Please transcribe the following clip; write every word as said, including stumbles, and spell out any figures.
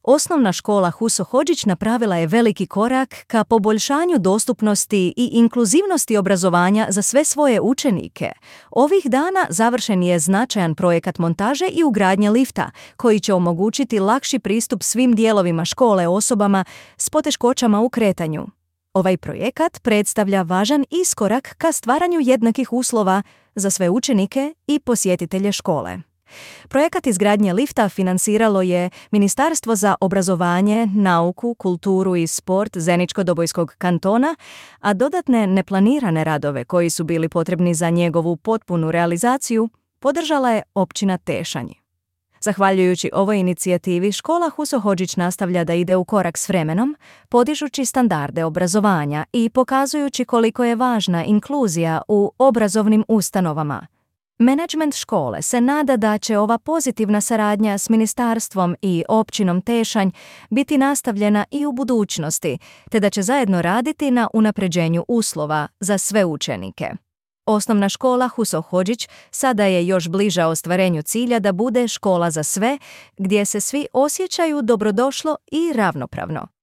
Osnovna škola Huso Hodžić napravila je veliki korak ka poboljšanju dostupnosti i inkluzivnosti obrazovanja za sve svoje učenike. Ovih dana završen je značajan projekat montaže i ugradnje lifta, koji će omogućiti lakši pristup svim dijelovima škole osobama s poteškoćama u kretanju. Ovaj projekat predstavlja važan iskorak ka stvaranju jednakih uslova za sve učenike i posjetitelje škole. Projekat izgradnje lifta financiralo je Ministarstvo za obrazovanje, nauku, kulturu i sport Zeničko-Dobojskog kantona, a dodatne neplanirane radove koji su bili potrebni za njegovu potpunu realizaciju podržala je općina Tešanj. Zahvaljujući ovoj inicijativi, škola Huso Hodžić nastavlja da ide u korak s vremenom, podižući standarde obrazovanja i pokazujući koliko je važna inkluzija u obrazovnim ustanovama. Menadžment škole se nada da će ova pozitivna saradnja s ministarstvom i općinom Tešanj biti nastavljena i u budućnosti, te da će zajedno raditi na unapređenju uslova za sve učenike. Osnovna škola Huso Hodžić sada je još bliža ostvarenju cilja da bude škola za sve, gdje se svi osjećaju dobrodošlo i ravnopravno.